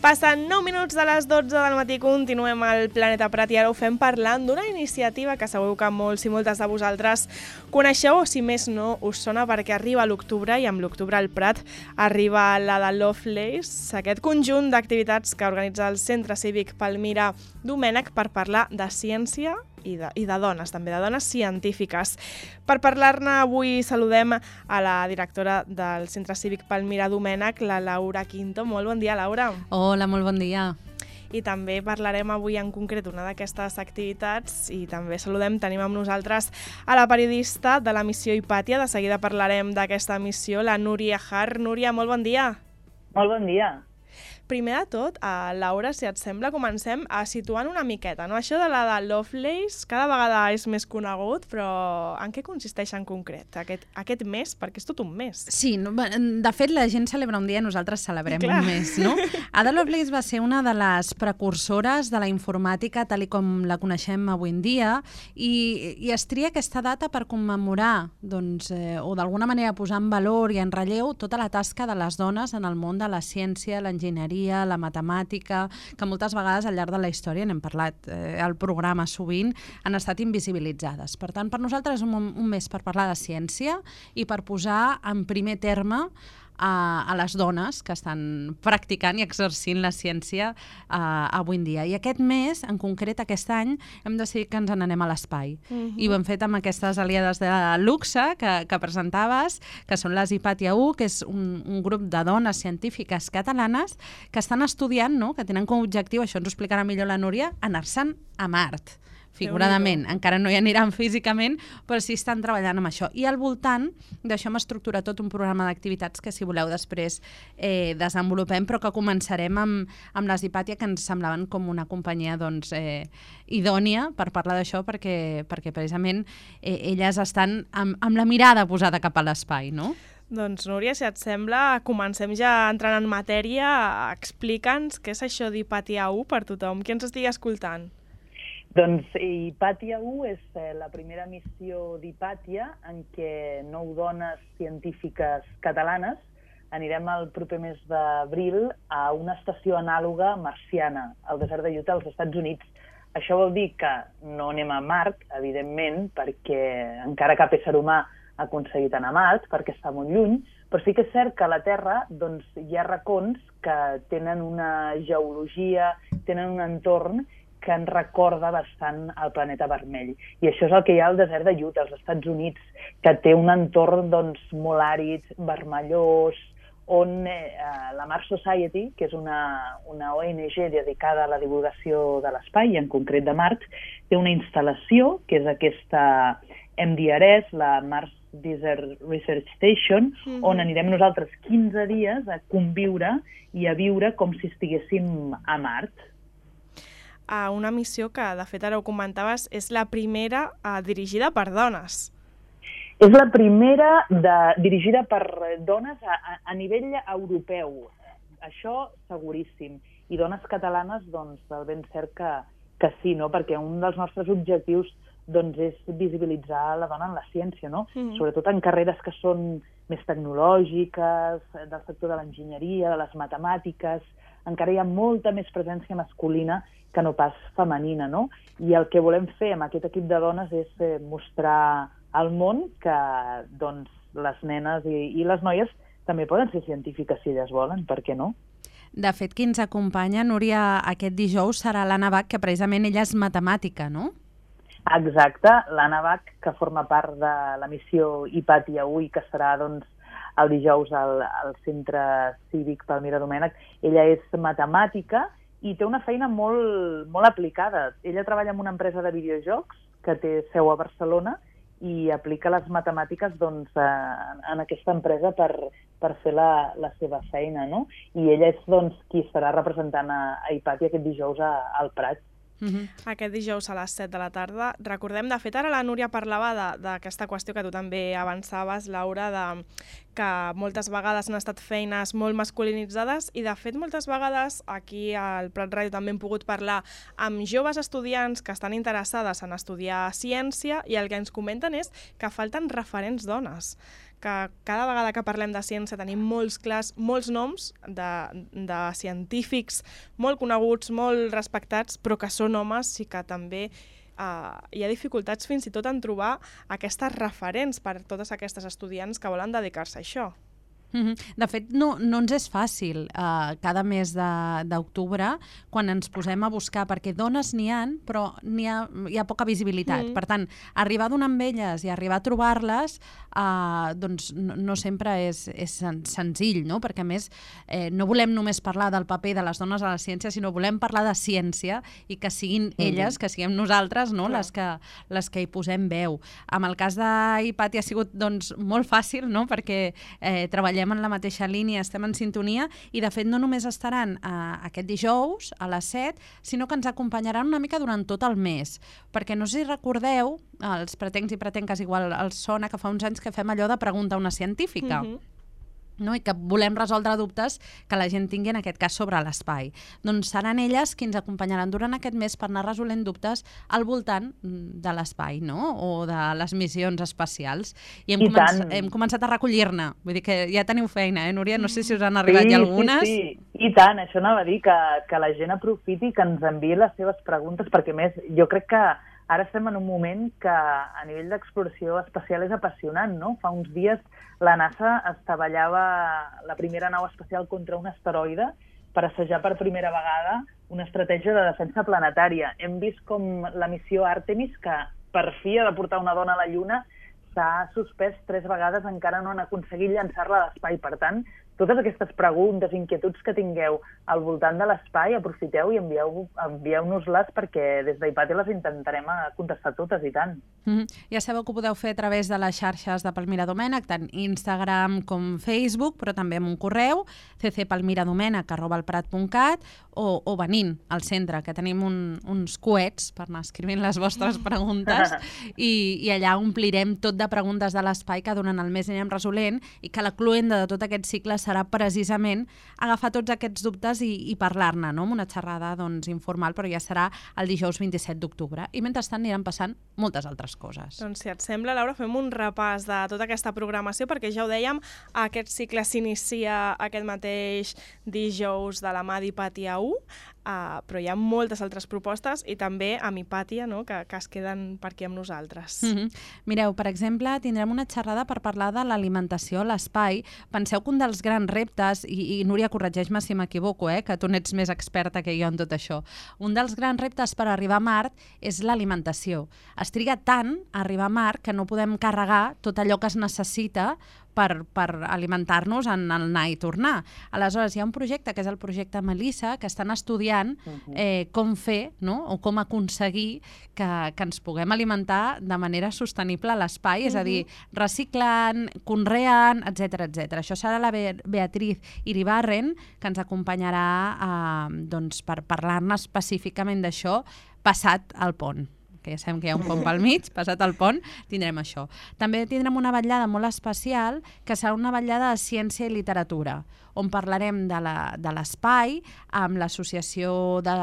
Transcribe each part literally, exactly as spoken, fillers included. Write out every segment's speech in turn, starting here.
Passen nou minuts de les dotze del matí, continuem al Planeta Prat i ara ho fem parlant d'una iniciativa que segur que molts i moltes de vosaltres coneixeu, o si més no us sona, perquè arriba l'octubre i amb l'octubre al Prat arriba la de Lovelace, aquest conjunt d'activitats que organitza el Centre Cívic Palmira Domènech per parlar de ciència i de, i de dones, també de dones científiques. Per parlar-ne avui saludem a la directora del Centre Cívic Palmira Domènech, la Laura Quinto. Molt bon dia, Laura. Hola, molt bon dia. I també parlarem avui en concret una d'aquestes activitats i també saludem, tenim amb nosaltres a la periodista de la missió Hipàtia. De seguida parlarem d'aquesta missió, la Núria Har. Núria, molt bon dia. Molt bon dia. Primer de tot, a Laura, si et sembla, comencem a situant una miqueta, no? Això de la de Lovelace cada vegada és més conegut, però en què consisteix en concret aquest, aquest mes? Perquè és tot un mes. Sí, no, de fet la gent celebra un dia i nosaltres celebrem Clar. un mes, no? Ada Lovelace va ser una de les precursores de la informàtica tal i com la coneixem avui en dia i, i es tria aquesta data per commemorar, doncs, eh, o d'alguna manera posar en valor i en relleu tota la tasca de les dones en el món de la ciència, l'enginyeria, la matemàtica, que moltes vegades al llarg de la història, n'hem parlat eh, al programa sovint, han estat invisibilitzades. Per tant, per nosaltres és un, un mes per parlar de ciència i per posar en primer terme a, a les dones que estan practicant i exercint la ciència eh, avui en dia. I aquest mes, en concret aquest any, hem decidit que ens n'anem a l'espai. Uh-huh. I ho hem fet amb aquestes aliades de luxe que, que presentaves, que són les Hipàtia u, que és un, un grup de dones científiques catalanes que estan estudiant, no?, que tenen com a objectiu, això ens ho explicarà millor la Núria, anar-se'n a Mart. Figuradament, encara no hi aniran físicament, però sí estan treballant amb això. I al voltant d'això hem estructurat tot un programa d'activitats que, si voleu, després eh, desenvolupem, però que començarem amb, amb les Hipàtia, que ens semblaven com una companyia doncs, eh, idònia per parlar d'això, perquè, perquè precisament eh, elles estan amb, amb la mirada posada cap a l'espai, no? Doncs, Núria, si et sembla, comencem ja entrant en matèria. Explica'ns què és això d'Hipàtia u per tothom, qui ens estigui escoltant. Doncs Hipàtia u és la primera missió d'Hipàtia en què nou dones científiques catalanes anirem el proper mes d'abril a una estació anàloga marciana, al desert de Utah, als Estats Units. Això vol dir que no anem a Mart, evidentment, perquè encara cap ésser humà ha aconseguit anar a Mart, perquè està molt lluny, però sí que és cert que a la Terra doncs, hi ha racons que tenen una geologia, tenen un entorn que ens recorda bastant el planeta vermell. I això és el que hi ha al desert de Utah, als Estats Units, que té un entorn doncs, molt àrid, vermellós, on eh, la Mars Society, que és una, una O N G dedicada a la divulgació de l'espai, i en concret de Mart, té una instal·lació, que és aquesta M D R S, la Mars Desert Research Station, mm-hmm. on anirem nosaltres quinze dies a conviure i a viure com si estiguéssim a Mart. A una missió que, de fet, ara ho comentaves, és la primera eh, dirigida per dones. És la primera de, dirigida per dones a, a, a nivell europeu. Això seguríssim. I dones catalanes, doncs, del ben cert que, que sí, no? Perquè un dels nostres objectius doncs, és visibilitzar la dona en la ciència, no? Mm-hmm. Sobretot en carreres que són més tecnològiques, del sector de l'enginyeria, de les matemàtiques. Encara hi ha molta més presència masculina que no pas femenina, no? I el que volem fer amb aquest equip de dones és eh, mostrar al món que doncs, les nenes i, i les noies també poden ser científiques si elles volen, per què no? De fet, qui ens acompanya, Núria, aquest dijous serà l'Anna Bach, que precisament ella és matemàtica, no? Exacte, l'Anna Bach, que forma part de la missió Hipàtia u i que serà doncs, el dijous al, al Centre Cívic Palmira Domènech. Ella és matemàtica i té una feina molt, molt aplicada. Ella treballa en una empresa de videojocs que té seu a Barcelona i aplica les matemàtiques doncs, en, en aquesta empresa per, per fer la, la seva feina, no? I ella és doncs, qui estarà representant a, a Hipàtia aquest dijous a, al Prat. Uh-huh. Aquest dijous a les set de la tarda. Recordem, de fet, ara la Núria parlava d'aquesta qüestió que tu també avançaves, Laura, de que moltes vegades han estat feines molt masculinitzades i, de fet, moltes vegades aquí al Prat Ràdio també hem pogut parlar amb joves estudiants que estan interessades en estudiar ciència i el que ens comenten és que falten referents dones, que cada vegada que parlem de ciència tenim molts clars, molts noms de, de científics molt coneguts, molt respectats, però que són homes i que també Uh, hi ha dificultats fins i tot en trobar aquestes referents per a totes aquestes estudiants que volen dedicar-se a això. Mm-hmm. De fet, no, no ens és fàcil uh, cada mes d'octubre quan ens posem a buscar, perquè dones n'hi ha, però n'hi ha, hi ha poca visibilitat. Mm. Per tant, arribar a donar amb elles i arribar a trobar-les uh, doncs no, no sempre és, és sen senzill, no? Perquè a més eh, no volem només parlar del paper de les dones a la ciència, sinó volem parlar de ciència i que siguin mm. elles, que siguem nosaltres, no? les, que, les que hi posem veu. Amb el cas d'Hipàtia ha sigut doncs, molt fàcil, no? Perquè eh, treballem en la mateixa línia, estem en sintonia i de fet no només estaran eh, aquest dijous a les set, sinó que ens acompanyaran una mica durant tot el mes, perquè no sé si recordeu, els pretencs i pretenques igual els sona que fa uns anys que fem allò de pregunta a una científica. Mm-hmm. No? I que volem resoldre dubtes que la gent tingui en aquest cas sobre l'espai. Doncs seran elles qui ens acompanyaran durant aquest mes per anar resolent dubtes al voltant de l'espai, no? O de les missions espacials. I hem, I començ tant. hem començat a recollir-ne. Vull dir que ja teniu feina, eh, Núria? No sé si us han arribat sí, ja algunes. Sí, sí, i tant. Això anava a dir, que, que la gent aprofiti, que ens enviï les seves preguntes, perquè més jo crec que ara estem en un moment que a nivell d'exploració espacial és apassionant, no? Fa uns dies la NASA estavellava la primera nau espacial contra un asteroide per assajar per primera vegada una estratègia de defensa planetària. Hem vist com la missió Artemis, que per fi ha de portar una dona a la Lluna, s'ha suspès tres vegades, encara no han aconseguit llançar-la a l'espai. Per tant, totes aquestes preguntes, inquietuds que tingueu al voltant de l'espai, aprofiteu i envieu-nos-les, perquè des d'Hipàtia les intentarem contestar totes, i tant. Mm-hmm. Ja sabeu que ho podeu fer a través de les xarxes de Palmira Domènech, tant Instagram com Facebook, però també amb un correu, c c palmiradomènech arroba elprat punt cat, o, o venint al centre, que tenim un, uns coets per anar escrivint les vostres preguntes, i, i allà omplirem tot de preguntes de l'espai que durant el mes anirem resolent, i que la cloenda de tot aquest cicle serà precisament agafar tots aquests dubtes i, i parlar-ne, no? Amb una xerrada doncs, informal, però ja serà el dijous vint-i-set d'octubre. I mentrestant aniran passant moltes altres coses. Doncs si et sembla, Laura, fem un repàs de tota aquesta programació, perquè ja ho dèiem, aquest cicle s'inicia aquest mateix dijous de la mà d'Hipàtia u, uh, però hi ha moltes altres propostes i també amb Hipàtia, no? que, que es queden per aquí amb nosaltres. Mm-hmm. Mireu, per exemple, tindrem una xerrada per parlar de l'alimentació a l'espai. Penseu que un dels grans reptes, i, i Núria, corregeix-me si m'equivoco, eh, que tu n'ets més experta que jo en tot això, un dels grans reptes per arribar a Mart és l'alimentació. Es triga tant a arribar a Mart que no podem carregar tot allò que es necessita per, per alimentar-nos en el anar i tornar. Aleshores, hi ha un projecte, que és el projecte Melissa, que estan estudiant eh, com fer, no? O com aconseguir que, que ens puguem alimentar de manera sostenible a l'espai, uh-huh. és a dir, reciclant, conreant, etcètera, etcètera. Això serà la Be Beatriz Iribarren, que ens acompanyarà eh, doncs, per parlar-ne específicament d'això passat el pont. Que ja sabem que hi ha un pont pel mig, passat el pont, tindrem això. També tindrem una vetllada molt especial, que serà una vetllada de ciència i literatura, on parlarem de l'espai amb l'associació de,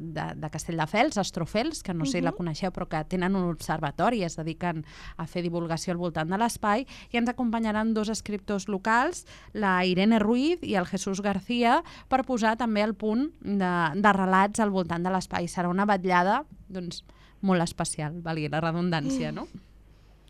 de, de Castelldefels, Astrofels, que no sé si la coneixeu, però que tenen un observatori i es dediquen a fer divulgació al voltant de l'espai, i ens acompanyaran dos escriptors locals, la Irene Ruiz i el Jesús García, per posar també el punt de, de relats al voltant de l'espai. Serà una vetllada, doncs, molt especial, valgui la redundància, no?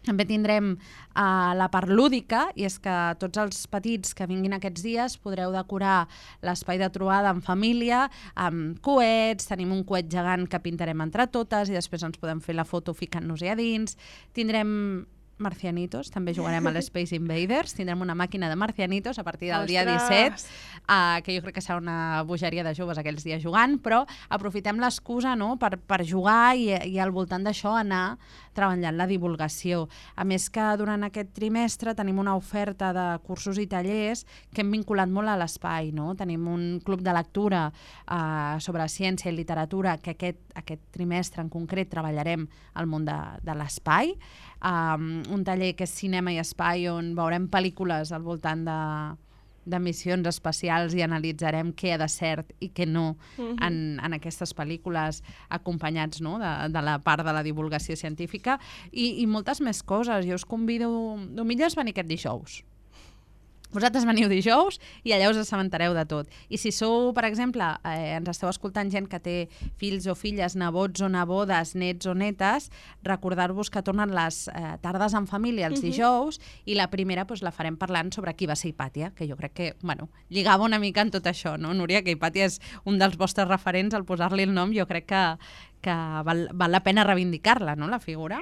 També tindrem uh, la part lúdica, i és que tots els petits que vinguin aquests dies podreu decorar l'espai de trobada en família, amb coets, tenim un coet gegant que pintarem entre totes i després ens podem fer la foto ficant-nos-hi a dins. Tindrem marcianitos, també jugarem a l'Space Invaders, tindrem una màquina de marcianitos a partir del Ostres. dia disset, uh, que jo crec que serà una bogeria de joves aquells dies jugant, però aprofitem l'excusa, no?, per, per jugar i, i al voltant d'això anar treballant la divulgació. A més que durant aquest trimestre tenim una oferta de cursos i tallers que hem vinculat molt a l'espai, no? Tenim un club de lectura eh, sobre ciència i literatura que aquest, aquest trimestre en concret treballarem al món de, de l'espai, um, un taller que és cinema i espai on veurem pel·lícules al voltant de de missions espacials i analitzarem què ha de cert i què no uh-huh. en, en aquestes pel·lícules, acompanyats, no? de, de la part de la divulgació científica i, i moltes més coses. Jo us convido, millor és venir aquest dijous. Vosaltres veniu dijous i allà us assabentareu de tot. I si sou, per exemple, eh, ens esteu escoltant gent que té fills o filles, nebots o nebodes, nets o netes, recordar-vos que tornen les eh, tardes en família els dijous uh-huh. i la primera doncs, la farem parlant sobre qui va ser Hipàtia, que jo crec que bueno, lligava una mica en tot això, no, Núria? Que Hipàtia és un dels vostres referents, al posar-li el nom jo crec que, que val, val la pena reivindicar-la, no, la figura?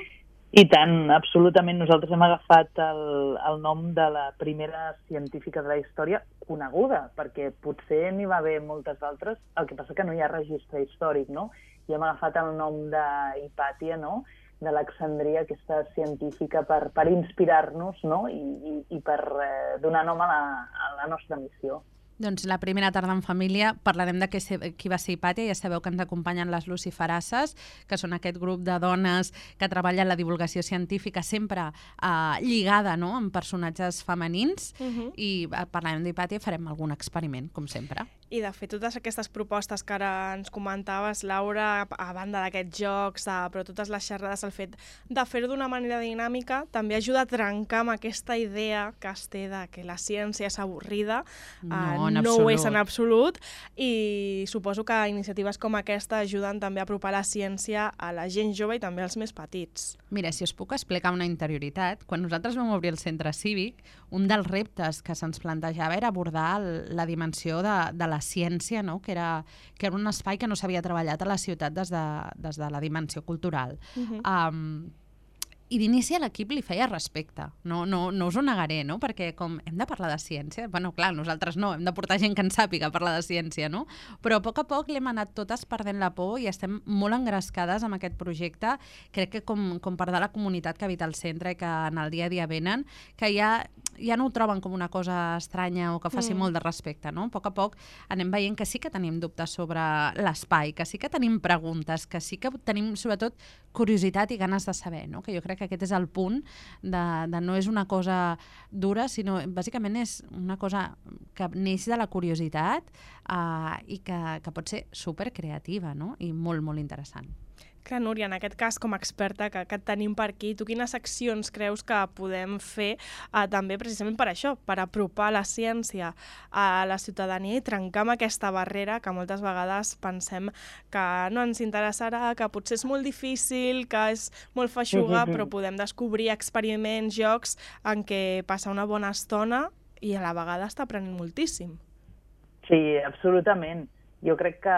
I tant, absolutament. Nosaltres hem agafat el, el nom de la primera científica de la història coneguda, perquè potser n'hi va haver moltes altres, el que passa que no hi ha registre històric, no? I hem agafat el nom d'Hipàtia, no?, d'Alexandria, aquesta científica, per, per inspirar-nos, no?, i, i, i per eh, donar nom a la, a la nostra missió. Doncs la primera tarda en família parlarem de qui, qui va ser Hipàtia. Ja sabeu que ens acompanyen les luciferasses, que són aquest grup de dones que treballen la divulgació científica sempre eh, lligada, no?, amb personatges femenins uh-huh. i parlarem d'Hipàtia i farem algun experiment, com sempre. I de fet, totes aquestes propostes que ara ens comentaves, Laura, a banda d'aquests jocs, de, però totes les xerrades, el fet de fer-ho d'una manera dinàmica també ajuda a trencar amb aquesta idea que es té de que la ciència és avorrida. No, eh, no ho és en absolut, i suposo que iniciatives com aquesta ajuden també a apropar la ciència a la gent jove i també als més petits. Mira, si us puc explicar una interioritat, quan nosaltres vam obrir el centre cívic, un dels reptes que se'ns plantejava era abordar el, la dimensió de, de la ciència, no? que, era, que era un espai que no s'havia treballat a la ciutat des de, des de la dimensió cultural. Uh-huh. um, I d'inici a l'equip li feia respecte, no, no, no us ho negaré, no? Perquè com hem de parlar de ciència, bueno, clar, nosaltres no, hem de portar gent que en sàpiga parlar de ciència, no? Però a poc a poc l'hem anat totes perdent la por i estem molt engrescades amb aquest projecte. Crec que com, com part de la comunitat que habita al centre i que en el dia a dia venen, que ja, ja no ho troben com una cosa estranya o que faci mm. molt de respecte, no? A poc a poc anem veient que sí que tenim dubtes sobre l'espai, que sí que tenim preguntes, que sí que tenim sobretot curiositat i ganes de saber, no? Que jo crec que aquest és el punt de, de no és una cosa dura, sinó bàsicament és una cosa que neix de la curiositat eh, i que, que pot ser supercreativa, no? I molt, molt interessant. Clar, Núria, en aquest cas, com a experta que, que et tenim per aquí, tu quines accions creus que podem fer eh, també precisament per això, per apropar la ciència a la ciutadania i trencar amb aquesta barrera que moltes vegades pensem que no ens interessarà, que potser és molt difícil, que és molt feixuga, mm-hmm. però podem descobrir experiments, jocs en què passa una bona estona i a la vegada està aprenent moltíssim. Sí, absolutament. Jo crec que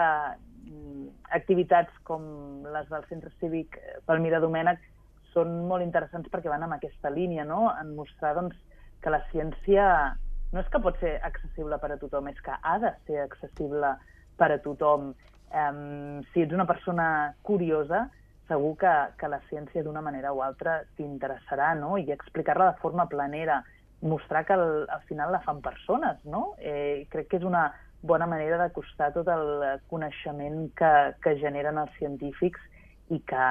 activitats com les del Centre Cívic Palmira Domènech són molt interessants perquè van en aquesta línia, no? En mostrar doncs, que la ciència no és que pot ser accessible per a tothom, és que ha de ser accessible per a tothom. Um, si ets una persona curiosa, segur que, que la ciència d'una manera o altra t'interessarà, no? I explicar-la de forma planera, mostrar que al, al final la fan persones, no? Eh, crec que és una bona manera d'acostar tot el coneixement que, que generen els científics i que,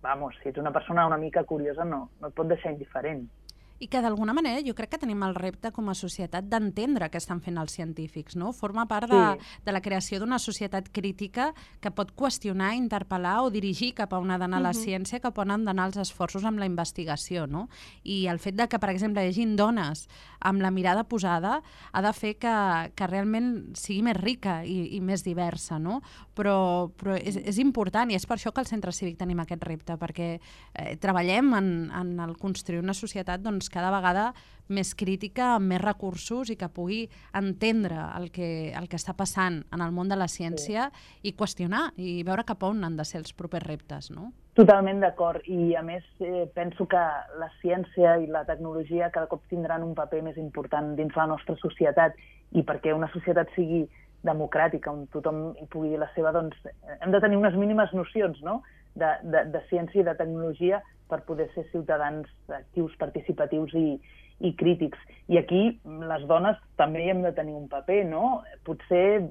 vamos, si ets una persona una mica curiosa no, no et pot deixar indiferent. I que d'alguna manera jo crec que tenim el repte com a societat d'entendre què estan fent els científics, no? Forma part de, sí. de la creació d'una societat crítica que pot qüestionar, interpel·lar o dirigir cap a on ha d'anar uh-huh. la ciència, cap a on han d'anar els esforços amb la investigació, no? I el fet de que, per exemple, hi hagi dones amb la mirada posada ha de fer que, que realment sigui més rica i, i més diversa, no? Però, però és, és important i és per això que al Centre Cívic tenim aquest repte, perquè eh, treballem en, en el construir una societat doncs, cada vegada més crítica, amb més recursos i que pugui entendre el que, el que està passant en el món de la ciència sí. i qüestionar i veure cap on han de ser els propers reptes, no? Totalment d'acord. I a més eh, penso que la ciència i la tecnologia cada cop tindran un paper més important dins la nostra societat i perquè una societat sigui democràtica, on tothom hi pugui dir la seva, doncs hem de tenir unes mínimes nocions, no?, de, de, de ciència i de tecnologia per poder ser ciutadans actius, participatius i, i crítics. I aquí les dones també hi hem de tenir un paper, no? Potser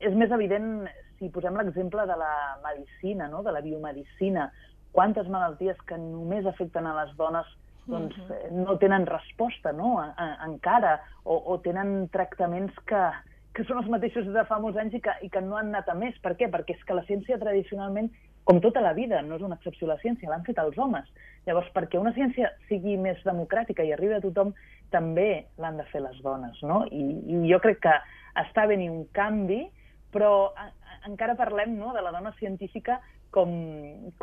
és més evident si posem l'exemple de la medicina, no? De la biomedicina. Quantes malalties que només afecten a les dones doncs, no tenen resposta, no? A, a, encara, o, o tenen tractaments que, que són els mateixos de fa molts anys i que, i que no han anat a més. Per què? Perquè és que la ciència tradicionalment, com tota la vida, no és una excepció a la ciència, l'han fet els homes. Llavors, perquè una ciència sigui més democràtica i arribi a tothom, també l'han de fer les dones, no? I, i jo crec que està venint un canvi, però a, a, encara parlem, no?, de la dona científica com,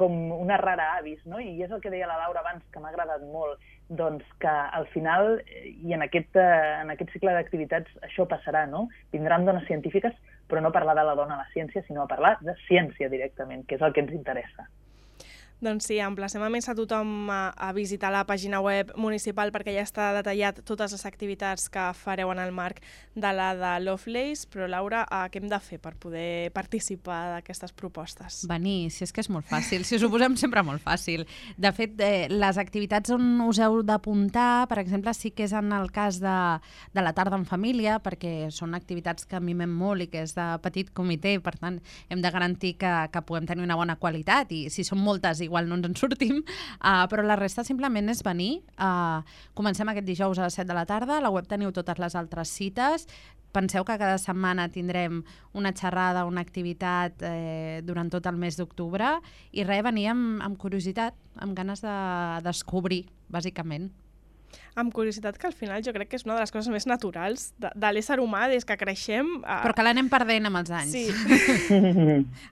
com una rara avis, no? I és el que deia la Laura abans, que m'ha agradat molt, doncs que al final, i en aquest, en aquest cicle d'activitats, això passarà, no? Vindran dones científiques, però no parlar de la dona a la ciència, sinó a parlar de ciència directament, que és el que ens interessa. Doncs sí, emplacem a més a tothom a, a visitar la pàgina web municipal perquè ja està detallat totes les activitats que fareu en el marc de la de Lovelace, però Laura, eh, què hem de fer per poder participar d'aquestes propostes? Venir, si és que és molt fàcil, si us ho posem sempre molt fàcil. De fet, eh, les activitats on us heu d'apuntar, per exemple, sí que és en el cas de, de la tarda en família, perquè són activitats que mimem molt i que és de petit comitè, per tant, hem de garantir que, que puguem tenir una bona qualitat i si són moltes igual no ens en sortim, uh, però la resta simplement és venir. Uh, comencem aquest dijous a les set de la tarda, a la web teniu totes les altres cites. Penseu que cada setmana tindrem una xerrada, una activitat eh, durant tot el mes d'octubre i res, venir amb, amb curiositat, amb ganes de descobrir, bàsicament. Amb curiositat, que al final jo crec que és una de les coses més naturals de, de l'ésser humà des que creixem. A... Però que l'anem perdent amb els anys. Sí.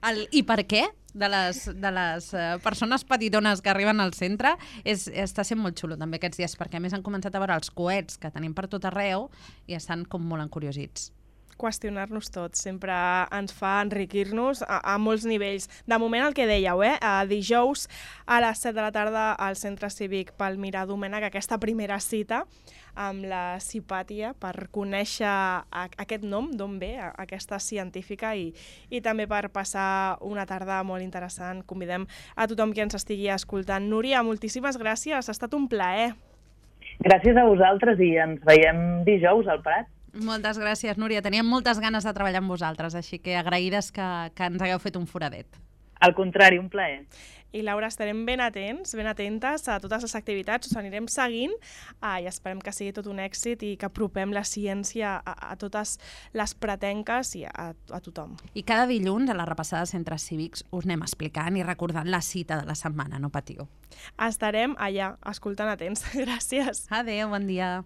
El, I per què? De les, de les uh, persones petitones que arriben al centre és, està sent molt xulo també aquests dies, perquè a més han començat a veure els coets que tenim per tot arreu i estan com molt encuriosits. Qüestionar-nos tot, sempre ens fa enriquir-nos a, a molts nivells. De moment el que dèieu, eh? A dijous a les set de la tarda al Centre Cívic Palmira Domènech, aquesta primera cita amb la Cipàtia per conèixer a, aquest nom, d'on ve, a, aquesta científica i, i també per passar una tarda molt interessant. Convidem a tothom que ens estigui escoltant. Núria, moltíssimes gràcies, ha estat un plaer. Gràcies a vosaltres i ens veiem dijous al Prat. Moltes gràcies, Núria. Teníem moltes ganes de treballar amb vosaltres, així que agraïdes que, que ens hagueu fet un foradet. Al contrari, un plaer. I Laura, estarem ben atents, ben atentes a totes les activitats, us anirem seguint ah, i esperem que sigui tot un èxit i que apropem la ciència a, a totes les pretenques i a, a tothom. I cada dilluns a la repassada de centres cívics us anem explicant i recordant la cita de la setmana, no patiu. Estarem allà, escoltant atents. Gràcies. Adéu, bon dia.